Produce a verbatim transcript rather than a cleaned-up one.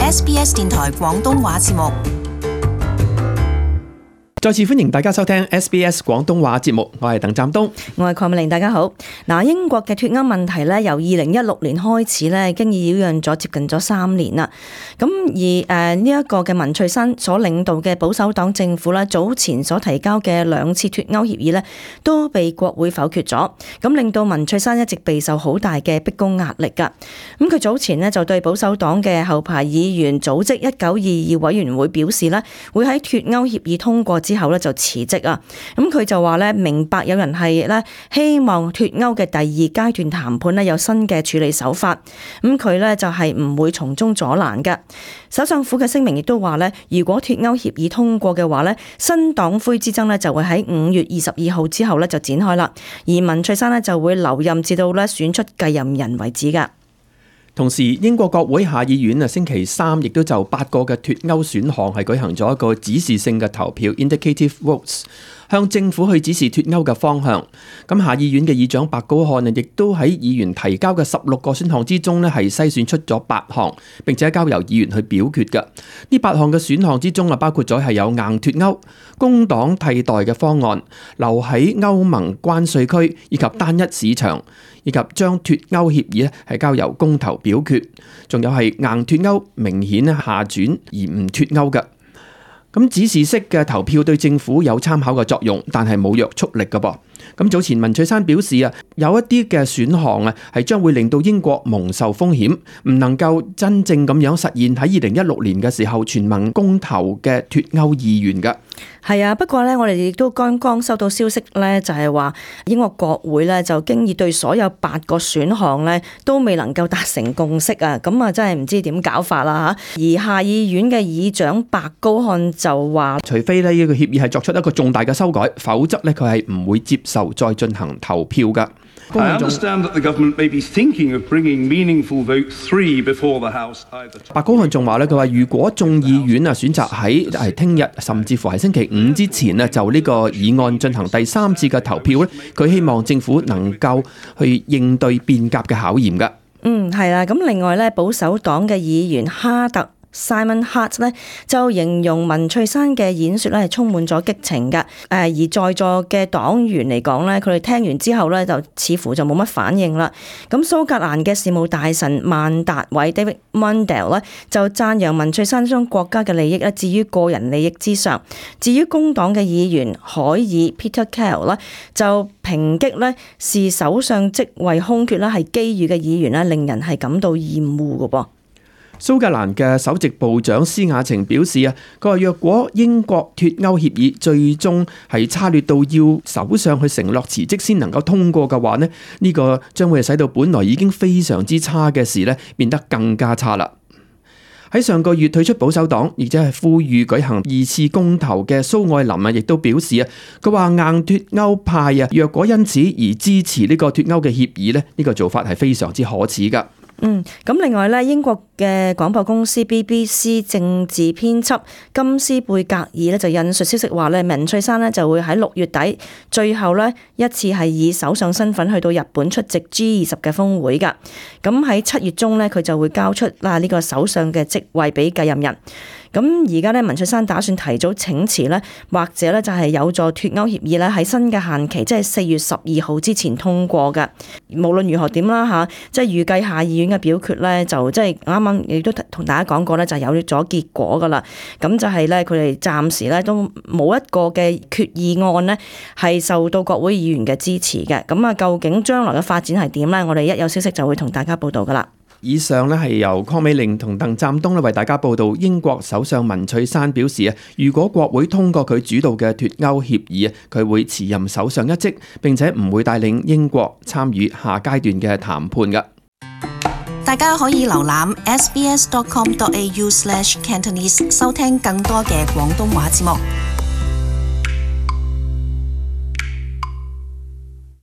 S B S 電台廣東話節目。再次歡迎大家收聽 S B S 廣東話節目，我係鄧湛東，我係鄺美玲，大家好。嗱，英國嘅脫歐問題咧，由二零一六年開始咧，已經擾攘咗接近咗三年啦。咁而誒呢一個嘅文翠珊所領導嘅保守黨政府咧，早前所提交嘅兩次脫歐協議咧，都被國會否決咗，咁令到文翠珊一直備受好大嘅逼宮壓力噶。咁佢早前咧就對保守黨嘅後排議員組織一九二二委員會表示咧，會喺脫歐協議通過之後咧就辭職啊！咁佢就話咧，明白有人係咧希望脫歐嘅第二階段談判咧有新嘅處理手法，咁佢咧就係唔會從中阻攔嘅。首相府嘅聲明亦都話咧，如果脫歐協議通過嘅話咧，新黨魁之爭咧就會喺五月二十二號之後咧就展開啦，而文翠珊咧就會留任至到咧選出繼任人為止噶。同時，英國國會下議院啊，星期三亦都就八個嘅脫歐選項係舉行咗一個指示性嘅投票 （indicative votes），向政府去指示脫歐嘅方向。咁下議院嘅議長白高漢啊，亦都喺議員提交嘅十六個選項之中呢，係篩選出咗八項，並且交由議員去表決嘅。呢八項嘅選項之中啊，包括咗係有硬脫歐、工黨替代嘅方案、留喺歐盟關稅區以及單一市場，以及將脫歐協議咧係交由公投表決，仲有係硬脫歐明顯咧下轉而唔脫歐嘅。咁指示式嘅投票對政府有參考嘅作用，但係冇約束力嘅噃。咁早前文翠珊表示啊，有一啲嘅選項啊係將會令到英國蒙受風險，唔能夠真正咁樣實現喺二零一六年嘅時候全民公投嘅脫歐意願嘅。係啊，不過咧，我哋亦都剛剛收到消息咧，就係話英國國會咧就經已對所有八個選項咧都未能夠達成共識啊，咁啊真係唔知點搞法啦嚇。而下議院嘅議長白高漢就話，除非呢個協議係作出一個重大嘅修改，否則咧佢係唔會接受再進行投票㗎。I understand that the government may be thinking of bringing meaningful vote three before the House either. 白高漢仲話咧，佢話如果眾議院啊選擇喺係聽日甚至乎係星期五之前啊就呢個議案進行第三次嘅投票咧，佢希望政府能夠去應對變革嘅考驗㗎。嗯，係啦。咁另外咧，保守黨嘅議員哈特Simon Hart 咧就形容文翠珊嘅演說咧係充滿咗激情㗎，誒而在座嘅黨員嚟講咧，佢哋聽完之後咧就似乎就冇乜反應啦。咁蘇格蘭嘅事務大臣曼達偉 David Mundell 咧就讚揚文翠珊將國家嘅利益咧置於個人利益之上。至於工黨嘅議員海爾 Peter Carroll 咧就抨擊咧是首相職位空缺啦係機遇嘅議員咧，令人係感到厭惡㗎噃。蘇格蘭嘅首席部長施雅晴表示啊，佢話若果英國脫歐協議最終係差劣到要首相去承諾辭職先能夠通過嘅話呢，呢個將會係使到本來已經非常之差嘅事呢變得更加差啦。喺上個月退出保守黨，而且係呼籲舉行二次公投嘅蘇愛林啊，亦都表示啊，佢話硬脫歐派啊，若果因此而支持呢個脫歐嘅協議呢，呢個做法係非常之可恥噶。嗯，咁另外咧，英國嘅廣播公司 B B C 政治編輯金斯貝格爾咧就引述消息話咧，文翠珊咧就會喺六月底最後咧一次係以首相身份去到日本出席 G 二十嘅峰會噶。咁喺七月中咧，佢就會交出啦呢個首相嘅職位俾繼任人。咁而家咧，文翠珊打算提早請辭咧，或者咧就係有助脫歐協議咧喺新嘅限期，即係四月十二號之前通過嘅。無論如何點啦嚇，即係預計下議院嘅表決咧，就即係啱啱亦都同大家講過咧，就有咗結果噶啦。咁就係咧，佢哋暫時咧都冇一個嘅決議案咧係受到國會議員嘅支持嘅。咁啊，究竟將來嘅發展係點咧？我哋一有消息就會同大家報道噶啦。以上咧係由鄺美玲同鄧湛東咧為大家報道。英國首相文翠珊表示啊，如果國會通過佢主導嘅脫歐協議啊，佢會辭任首相一職，並且唔會帶領英國參與下階段嘅談判㗎。大家可以瀏覽 s b s dot com dot a u slash cantonese 收聽更多嘅廣東話節目。